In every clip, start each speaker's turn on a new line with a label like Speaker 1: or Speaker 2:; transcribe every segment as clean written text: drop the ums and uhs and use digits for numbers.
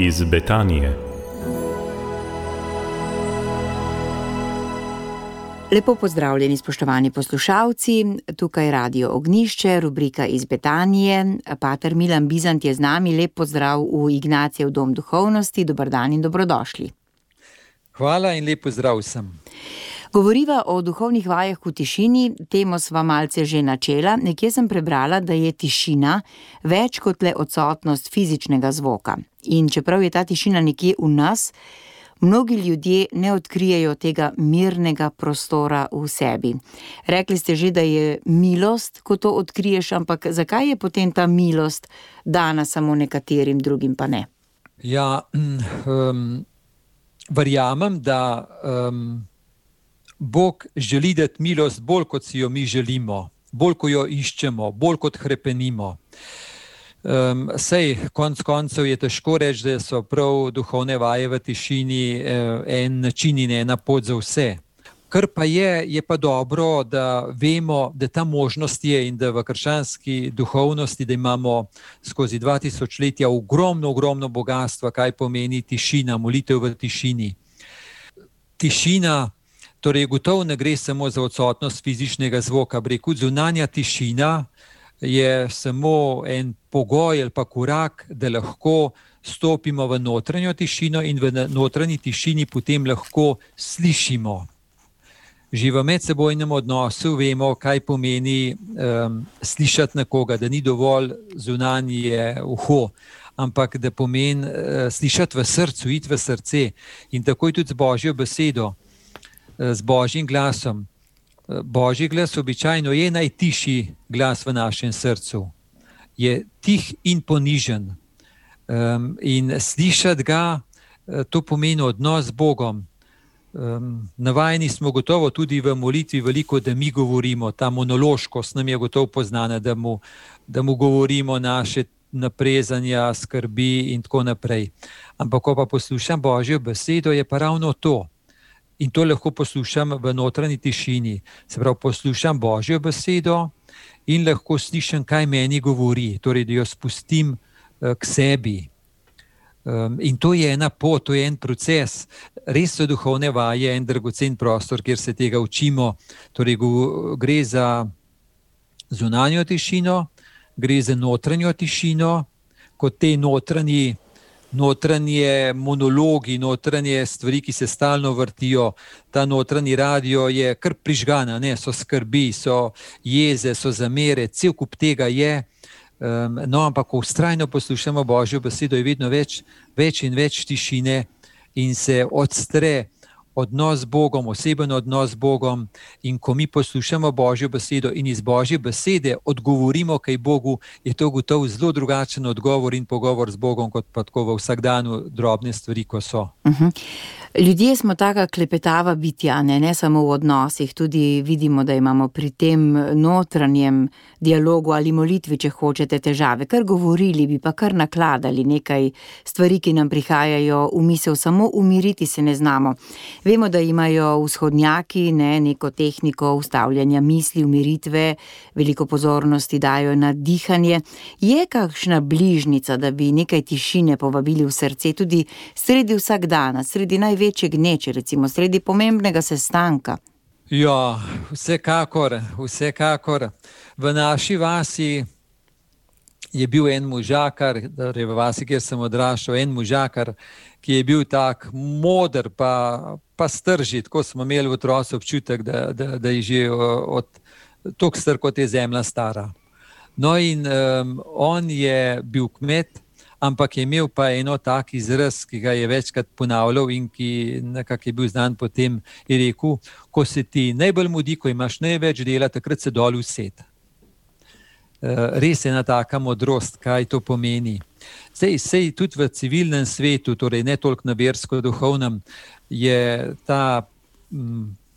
Speaker 1: iz Betanije.
Speaker 2: Lepo pozdravljeni, spoštovani poslušalci, tukaj Radio Ognjišče, rubrika iz Betanije. Pater Milan Bizant je z nami, lep pozdrav v Ignacijev dom duhovnosti, dober dan in dobrodošli.
Speaker 3: Hvala in lep pozdrav vsem.
Speaker 2: Govoriva o duhovnih vajah v tišini, temo sva malce že načela. Nekje sem prebrala, da je tišina več kot le odsotnost fizičnega zvoka. In čeprav je ta tišina nekje v nas, mnogi ljudje ne odkrijejo tega mirnega prostora v sebi. Rekli ste že, da je milost, ko to odkriješ, ampak zakaj je potem ta milost dana samo nekaterim, drugim pa ne?
Speaker 3: Ja, verjamem, da Bog želi dati milost bolj, kot si jo mi želimo, bolj, ko jo iščemo, bolj, kot hrepenimo. Sej, konec koncev je težko reči, da so prav duhovne vaje v tišini en način in ena pot za vse. Kar pa je pa dobro, da vemo, da ta možnost je in da v krščanski duhovnosti, da imamo skozi 2000 letja ogromno bogatstva, kaj pomeni tišina, molitev v tišini. Tišina, torej gotovo ne gre samo za odsotnost fizičnega zvoka, zunanja tišina je samo en pogoj ali pa korak, da lahko stopimo v notranjo tišino in v notranji tišini potem lahko slišimo. Že v medsebojnem odnosu vemo, kaj pomeni slišati nekoga, da ni dovolj zunanje uho, ampak da pomeni slišati v srcu, iti v srce. In tako je tudi z Božjo besedo, z Božjim glasom. Božji glas običajno je najtišji glas v našem srcu. Je tih in ponižen. In slišati ga, to pomeni odnos z Bogom. Navajeni smo gotovo tudi v molitvi veliko, da mi govorimo, ta monološkost nam je gotovo poznana, da mu govorimo naše naprezanja, skrbi in tako naprej. Ampak ko pa poslušam Božjo besedo, je pa ravno to. In to lahko poslušam v notranji tišini. Se pravi, poslušam Božjo besedo in lahko slišim, kaj meni govori. Torej, da jo spustim k sebi. In to je ena pot, to je en proces. Res so duhovne vaje en dragocen prostor, kjer se tega učimo. Torej, gre za zunanjo tišino, gre za notranjo tišino, kot te notranje monologi, notranje stvari, ki se stalno vrtijo. Ta notranji radio je kar prižgana, ne? So skrbi, so jeze, so zamere, cel kup tega je. No, ampak ko vztrajno poslušamo Božjo besedo, je vedno več in več tišine in se odstre odnos z Bogom, oseben odnos z Bogom. In ko mi poslušamo Božjo besedo in iz Božje besede odgovorimo kaj Bogu, je to gotovo zelo drugačen odgovor in pogovor z Bogom, kot pa tako v vsakdanu drobne stvari, ko so.
Speaker 2: Ljudje smo taka klepetava bitja, ne samo v odnosih, tudi vidimo, da imamo pri tem notranjem dialogu ali molitvi, če hočete, težave. Kar govorili bi, pa kar nakladali nekaj stvari, ki nam prihajajo v misel, samo umiriti se ne znamo. Vemo, da imajo vzhodnjaki neko tehniko ustavljanja misli, umiritve, veliko pozornosti dajo na dihanje. Je kakšna bližnica, da bi nekaj tišine povabili v srce, tudi sredi vsakdana, sredi največje gneče, recimo sredi pomembnega sestanka?
Speaker 3: Ja, vsekakor. V naši vasi je bil en možakar, torej v vasi, kjer sem odraščal, en možakar, ki je bil tak moder pa stržit, ko smo imeli v otroci občutek, da je že toliko star, kot je zemlja stara. No in on je bil kmet, ampak je imel pa eno tak izraz, ki ga je večkrat ponavljal in ki nekako je bil znan potem, je rekel, ko se ti najbolj mudi, ko imaš največ dela, takrat se dol used. Res je ena taka modrost, kaj to pomeni. Sej tudi v civilnem svetu, torej ne toliko na versko-duhovnem, je ta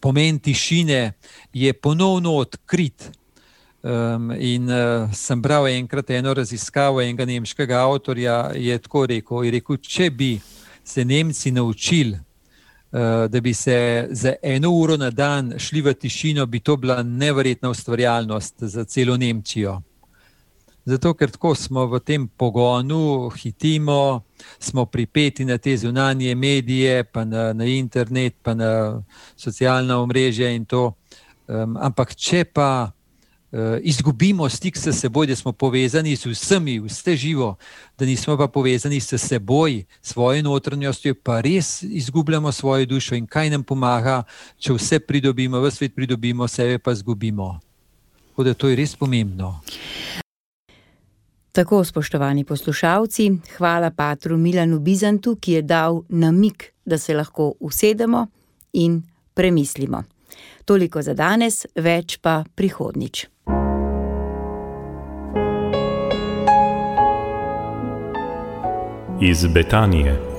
Speaker 3: pomen tišine je ponovno odkrit. In sem bral enkrat eno raziskavo enega nemškega avtorja, je tako rekel, če bi se Nemci naučili, da bi se za 1 uro na dan šli v tišino, bi to bila neverjetna ustvarjalnost za celo Nemčijo. Zato, ker tako smo v tem pogonu, hitimo, smo pripeti na te zunanje medije, pa na internet, pa na socialna omrežja in to. Ampak če pa izgubimo stik s seboj, da smo povezani z vsemi, vse živo, da nismo pa povezani s seboj, svojo notranjostjo, pa res izgubljamo svojo dušo. In kaj nam pomaga, če vse pridobimo, v svet pridobimo, sebe pa izgubimo. Tako da to je res pomembno.
Speaker 2: Tako, spoštovani poslušalci, hvala patru Milanu Bizantu, ki je dal namig, da se lahko usedemo in premislimo. Toliko za danes, več pa prihodnjič.
Speaker 1: Iz Betanije.